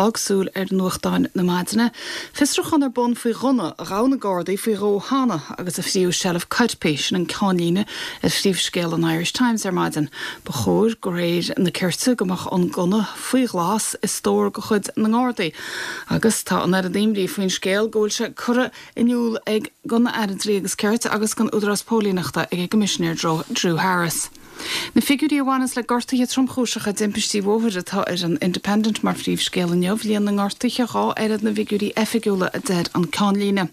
Fág súil ar nuachtáin na maidine. Fiosrúchán ar bun faoi ghunna a ghabh na Gardaí faoi dhó cheana agus a thríú seilbh coirpigh, sin an ceannlíne ar phríomhscéal an Irish Times ar maidin. Ba chóir, de réir na cirt, go mbeadh an gunna faoi ghlas i stór de chuid na nGardaí agus tá an oiread imní faoin scéal go bhfuil sé curtha in iúl ag don Aire Dlí agus Cirt agus don Údarás Póilíneachta ag an gCoimisinéir Drew Harris. Na figiúirí a bhaineas le gortuithe tromchúiseacha i dtimpistí bhóthair atá ar an Independent mar phríomhscéal inniu, líon na ngortuithe 2 oiread na bhfigiúirí oifigiúla, a deir an ceannlíne.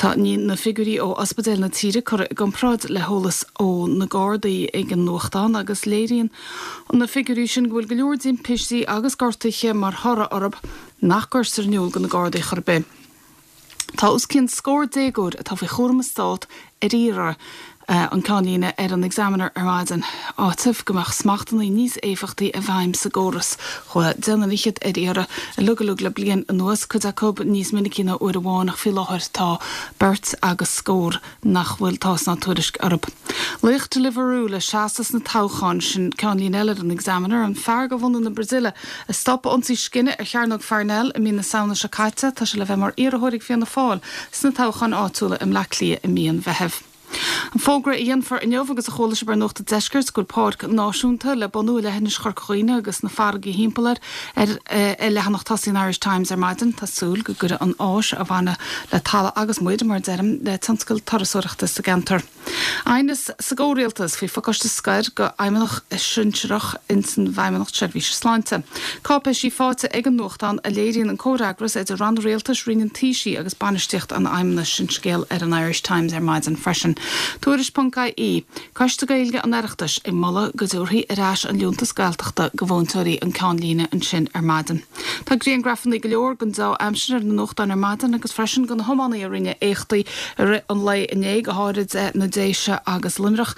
Tá na figiúirí ó ospidéil na tíre curtha i gcomparáid le heolas ó na Gardaí ag an nuachtán agus léiríonn na figiúirí sin go bhfuil go leor timpistí agus gortuithe mar thoradh orthu nach gcuirtear in iúl do na Gardaí chor ar bith. Tá os cionn scór déagóir atá faoi chúram an Stát ar iarraidh, an ceannlíne ar an Examiner ar maidin, áiteamh go mbeadh smachtbhannaí níos éifeachtaí i bhfeidhm sa gcóras. Chuaigh deich nduine fhichead ar iarraidh uilig uilig le bliain anuas, cuid acu níos minicí ná uair amháin ach faoi láthair tá beirt agus scór nach bhfuil tásc ná tuairisc orthu. Laoch Deliveroo le seasamh sna toghcháin, sin ceannlíne eile ar an Examiner. An fear de bhunadh na Brasaíle a stop ionsaí scine ar Chearnóg Pharnell i mí na Samhna seo caite, tá sé le bheith mar iarrthóir ag Fianna Fáil sna toghcháin áitiúla i mBleá Cliath i mí an Mheithimh. An fógra a dhéanfar inniu agus a chuala sibh ar Nuacht an Deiscirt go bhfuil páirc náisiúnta le bunú i leithinis Chorca Dhuibhne agus na farraigí thimpeall air ar leathanach tosaigh an Irish Times ar maidin. Tá súil go gcuirfidh an áis a bhainfidh le talamh agus muir, mar a deirim, le tionscal turasóireachta sa gceantar. Aighneas sa gcomhrialtas faoi phacáiste scoir do fheidhmeannach sinsearach ins an bhFeidhmeannacht Seirbhíse Sláinte. Cáipéisí faighte ag an nuachtán a léiríonn an comhfhreagras idir ranna rialtais, Roinn an Taoisigh agus bainistíocht an Fheidhmeannais. Sin scéal ar an Irish Times ar maidin freisin. Tuairisc.ie, Coiste Gaeilge an Oireachtais ag moladh go dtabharfaí ar ais an liúntas Gaeltachta do mhúinteoirí, an ceannlíne ansin ar maidin. Tá griangrafannaí go leor den deá-aimsir ar na nuachtáin ar maidin agus freisin de na hiománaí a rinne éachtaí i rith an lae inné, go háirid na Déise agus Luimneach.